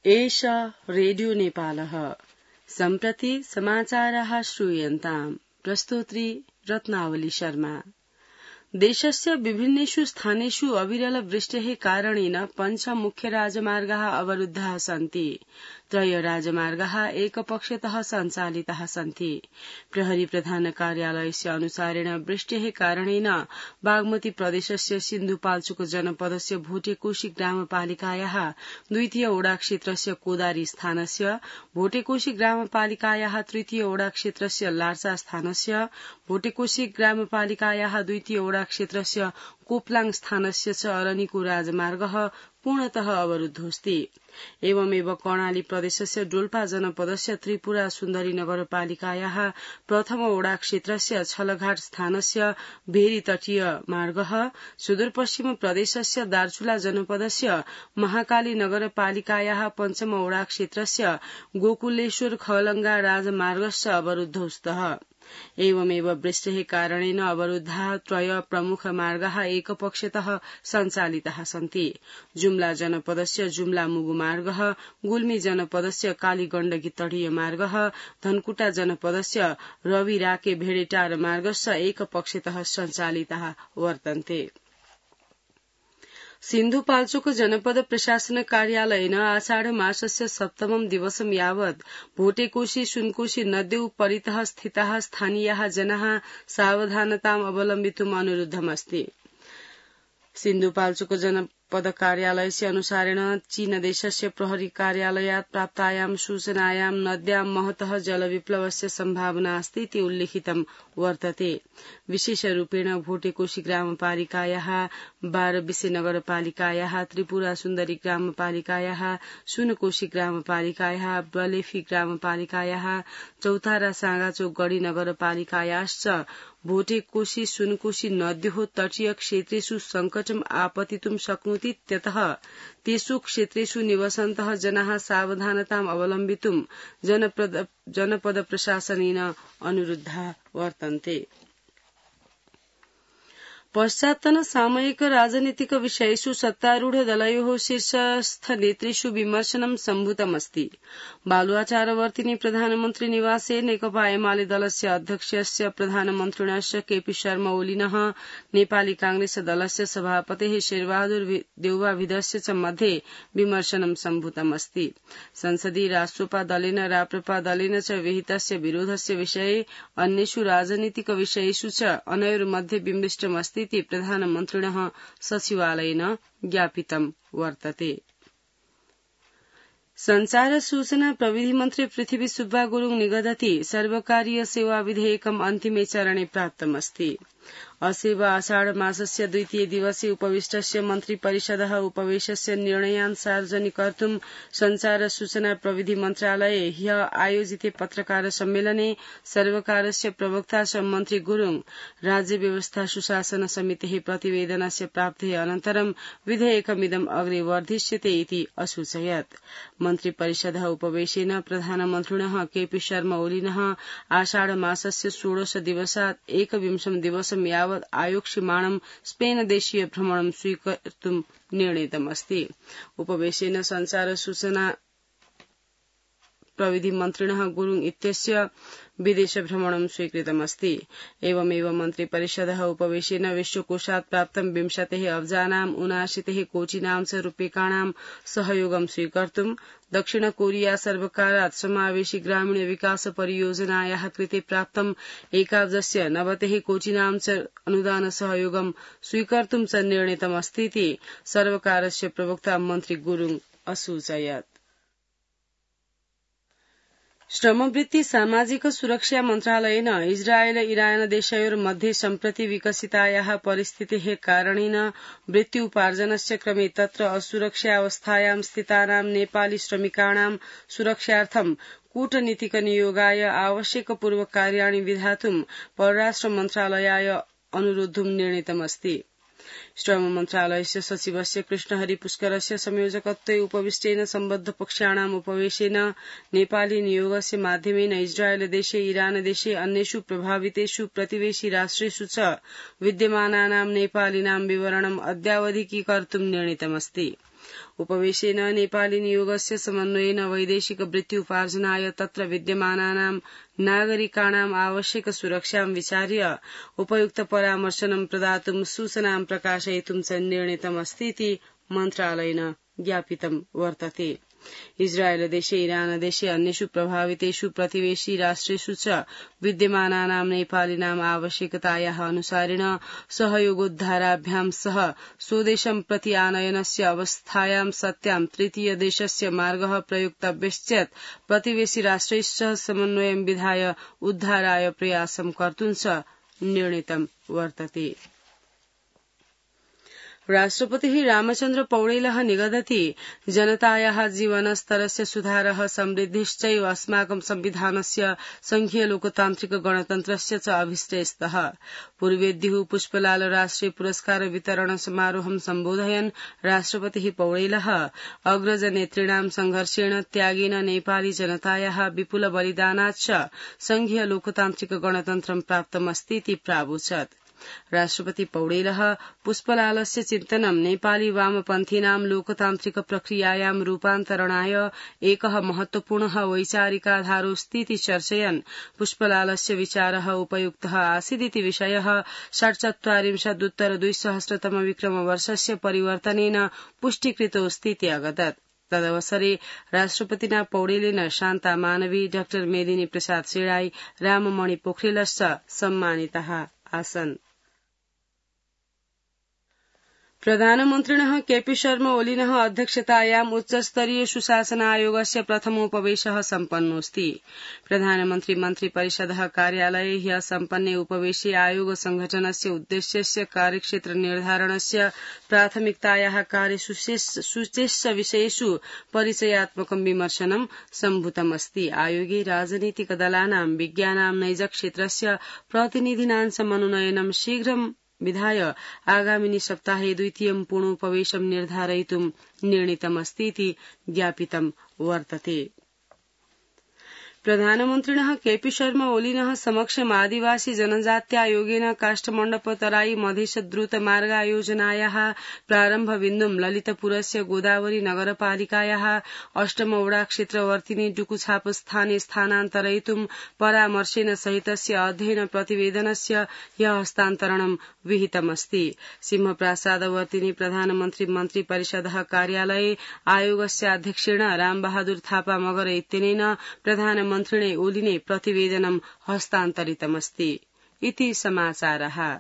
एष रेडियो नेपालः सम्प्रति समाचाराः श्रूयन्ताम् प्रस्तोत्री रत्नावली शर्मा। देशस्य विभिन्नेषु स्थानेषु अविरल वृष्टेः कारणेन पञ्च मुख्य राजमार्गाः अवरुद्धाः सन्ति। त्रय राजमार्गाः एकपक्षतः सञ्चालिताः सन्ति। प्रहरी प्रधान कार्यालयस्य अनुसारेण वृष्टेः कारणेन बागमती प्रदेशस्य सिन्धुपाल्चोक जनपदस्य भोटेकोशी ग्रामपालिकायाः द्वितीय ओडा क्षेत्रस्य कोदारी स्थानस्य, भोटेकोशी ग्रामपालिकायाः तृतीय ओडा क्षेत्रस्य लार्सा स्थानस्य, भोटेकोशी ग्रामपालिकायाः द्वितीय ओडा क्षेत्रस्य कोप्लाङ स्थानस्य च अरनिको राजमार्गः पूर्णतः अवरुद्धोऽस्ति। एवमेव कर्णाली प्रदेशस्य डोल्पा जनपदस्य त्रिपुरा सुन्दरी नगरपालिकायाः प्रथम ओडा क्षेत्रस्य छलघाट स्थानस्य भेरी तटीय मार्गः, सुदूरपश्चिम प्रदेशस्य दार्चुला जनपदस्य महाकाली नगरपालिकायाः पञ्चम ओडा क्षेत्रस्य गोकुलेश्वर खलङ्गा राजमार्गश्च अवरुद्धौ स्तः। एवमेव वृष्टेः कारणेन अवरुद्धाः त्रय प्रमुख मार्गाः एकपक्षतः सञ्चालिताः सन्ति। जुम्ला जनपदस्य जुम्ला मुगु मार्गः, गुल्मी जनपदस्य कालीगण्डकी तटीय मार्गः, धनकुटा जनपदस्य रवि राके भेडेटार मार्गश्च एकपक्षतः सञ्चालिताः वर्तन्ते। सिन्धुपाल्चोक जनपद प्रशासन कार्यालयेन आषाढ मासस्य सप्तमं दिवसं यावत् भोटेकोशी सुनकोशी नद्यौ परितः स्थिताः स्थानीयाः जनाः सावधानताम् अवलम्बितुम् अनुरुद्धमस्ति। सिन्धुपाल्चोक जनपद कार्यालयस्य अनुसारेण चीनदेशस्य प्रहरी कार्यालयात् प्राप्तायां सूचनायां नद्यां महतः जलविप्लवस्य सम्भावना अस्ति इति उल्लिखितं वर्तते। विशेषरूपेण भोटेकोशी ग्रामपालिकायाः, बारबिसे नगरपालिकायाः, त्रिपुरा सुन्दरी ग्रामपालिकायाः, सुनकोशी ग्रामपालिकायाः, बलेफी ग्रामपालिकायाः, चौतारा साँगाचोक गढी नगरपालिकायाश्च भोटेकोशी सुनकोशी नद्योः तटीय क्षेत्रेषु संकटम् आपतितुं शक्नोतीत्यतः तेषु क्षेत्रेषु निवसन्तः जनाः सावधानताम् अवलम्बितुं जनपद प्रशासनेन अनुरुद्धाः वर्तन्ते। पश्चात्तन सामयिक राजनीतिक विषयेषु सत्तारूढ दलयोः शीर्षस्थ नेतृषु विमर्शनं सम्भूतमस्ति। बालुवाचारवर्तिनि प्रधानमन्त्री निवासे नेकपा एमाले दलस्य अध्यक्षस्य प्रधानमन्त्रिणश्च केपी शर्मा ओलिनः नेपाली कांग्रेस दलस्य सभापतेः शेरबहादुर देउवाभिदस्य च मध्ये विमर्शनं सम्भूतमस्ति। संसदीय राष्ट्रपा दलेन राप्रपा दलेन च विहितस्य विरोधस्य विषये अन्येषु राजनीतिक विषयेषु च अनयोर्मध्ये विमृष्टमस्ति इति प्रधानमन्त्रिणः सचिवालयेन ज्ञापितं वर्तते। संचार सूचना प्रविधि मन्त्री पृथ्वी सुब्बा गुरुङ निगदति सर्वकारीय सेवा विधेयकम् अन्तिमे चरणे प्राप्तमस्ति। असेव आषाढ मासस्य द्वितीय दिवसे उपविष्टस्य मन्त्री परिषदः उपवेशस्य निर्णयान् सार्वजनिकर्तुं संचार सूचना प्रविधि मन्त्रालये ह्यः आयोजिते पत्रकार सम्मेलने सर्वकारस्य प्रवक्ता च मन्त्री गुरुङ राज्य व्यवस्था सुशासन समितेः प्रतिवेदनस्य प्राप्तेः अनन्तरं विधेयकमिदम् अग्रे वर्धिष्यते इति असूचयत्। मन्त्री परिषदः उपवेशेन प्रधानमन्त्रिणः केपी शर्मा ओलिनः आषाढ मासस्य 16 दिवसात् 21 दिवसं यावत् आयोक्ष्यमाणं स्पेन देशीय भ्रमणं स्वीकर्तुं निर्णीतमस्ति। उपवेशेन संचार सूचना प्रविधि मन्त्रिणः गुरुङ इत्यस्य विदेश भ्रमणं स्वीकृतमस्ति। एवमेव मन्त्री परिषदः उपवेशेन विश्वकोषात् प्राप्तं 20 अब्जानां 79 कोटिनां च रूप्यकाणां सहयोगं स्वीकर्तुं दक्षिण कोरिया सर्वकारात् समावेशी ग्रामीण विकास परियोजनायाः कृते प्राप्तं 1,90 कोटिनां च अनुदान सहयोगं स्वीकर्तुं च निर्णीतमस्ति इति सर्वकारस्य प्रवक्ता मन्त्री गुरुङ असूचयत्। श्रमवृत्ति सामाजिक सुरक्षा मन्त्रालयेन इजरायल इरान देशयोर्मध्ये सम्प्रति विकसितायाः परिस्थितेः कारणेन वृत्त्युपार्जनस्य क्रमे तत्र असुरक्षावस्थायां स्थितानां नेपाली श्रमिकाणां सुरक्षार्थं कूटनीतिक नियोगाय आवश्यकपूर्वकार्याणि विधातुं परराष्ट्र मन्त्रालयाय अनुरोद्धुं निर्णीतमस्ति। श्रम मन्त्रालयस्य सचिवस्य कृष्णहरि पुष्करस्य संयोजकत्वे उपविष्टेन सम्बद्ध पक्षाणाम् उपवेशेन नेपाली नियोगस्य माध्यमेन इजरायल देशे इरान देशे अन्येषु प्रभावितेषु प्रतिवेशी राष्ट्रेषु च विद्यमानानां नेपालिनां विवरणम् अद्यावधिकीकर्तुं निर्णीतमस्ति। उपवेशेन नेपाली नियोगस्य समन्वयेन वैदेशिक वृत्ति उपार्जनाय तत्र विद्यमानानां नागरिकाणाम् आवश्यक सुरक्षां विचार्य उपयुक्त परामर्शनं प्रदातुं सूचनां प्रकाशयितुं च निर्णीतमस्तीति मन्त्रालयेन ज्ञापितं वर्तते। इस्राएल देशे इरान देशे अन्येषु प्रभावितेषु प्रतिवेशी राष्ट्रेषु च विद्यमानानां नेपालिनाम् आवश्यकतायाः अनुसारेण सहयोगोद्धाराभ्यां सह स्वदेशं प्रति आनयनस्य अवस्थायां सत्यां तृतीय देशस्य मार्गः प्रयुक्तव्यश्चेत् प्रतिवेशी राष्ट्रैश्च समन्वयं विधाय उद्धाराय प्रयासं कर्तुं च निर्णीतं वर्तते। राष्ट्रपतिः रामचन्द्र पौडेलः निगदति जनतायाः जीवनस्तरस्य सुधारः समृद्धिश्चैव अस्माकं संविधानस्य संघीय लोकतान्त्रिक गणतन्त्रस्य च अभिष्टेस्तः। पूर्वेद्युः पुष्पलाल राष्ट्रिय पुरस्कार वितरण समारोहं सम्बोधयन् राष्ट्रपतिः पौडेलः अग्रजनेतॄणां संघर्षेण त्यागेन नेपाली जनतायाः विपुल बलिदानाच्च संघीय लोकतान्त्रिक गणतन्त्रं प्राप्तमस्तीति प्रावोचत्। राष्ट्रपति पौडेलः पुष्पलालस्य चिन्तनं नेपाली वामपन्थीनां लोकतान्त्रिक प्रक्रियायां रूपान्तरणाय एकः महत्वपूर्णः वैचारिकाधारोऽस्तीति चर्चयन् पुष्पलालस्य विचारः उपयुक्तः आसीदिति विषयः 47 विक्रमवर्षस्य परिवर्तनेन पुष्टीकृतोऽस्तीति अगदत्। तदवसरे राष्ट्रपतिना पौडेलेन शान्ता मानवी, डॉ मेदिनी प्रसाद शेळाई, राममणि पोखरेलश्च सम्मानिताः आसन्। प्रधानमन्त्रिणः केपी शर्मा ओलीनः अध्यक्षतायाम् उच्चस्तरीय सुशासन आयोगस्य प्रथमोपवेशः सम्पन्नोऽस्ति। प्रधानमन्त्री मन्त्रिपरिषदः कार्यालये ह्यः सम्पन्ने उपवेशे आयोग संघटनस्य उद्देश्यस्य कार्यक्षेत्र निर्धारणस्य प्राथमिकतायाः कार्यसूचेश्च विषयेषु परिचयात्मकं विमर्शनं सम्भूतमस्ति। आयोगे राजनीतिकदलानां विज्ञानां नैजक्षेत्रस्य प्रतिनिधीनां च मनोनयनं शीघ्रं विधाय आगामिनि सप्ताहे द्वितीयं पूर्णोपवेशं निर्धारयितुं निर्णीतमस्तीति ज्ञापितं वर्तते। प्रधानमन्त्रिणः केपी शर्मा ओलीनः समक्षम् आदिवासी जनजात्यायोगेन काष्ठमण्डप तराई मधेश द्रुत मार्गायोजनायाः प्रारम्भबिन्दुं ललितपुरस्य गोदावरी नगरपालिकायाः अष्टमवडा क्षेत्रवर्तिनि डुकुछाप स्थाने स्थानान्तरयितुं परामर्शेन सहितस्य अध्ययन प्रतिवेदनस्य ह्यः हस्तान्तरणं विहितमस्ति। सिंहप्रासादवर्तिनि प्रधानमन्त्री मन्त्रिपरिषदः कार्यालये आयोगस्य अध्यक्षेण रामबहादुर थापा मगर इत्यनेन प्रधानमन्त्रिणे ओलीने प्रतिवेदनं हस्तान्तरितमस्ति। इति समाचारः।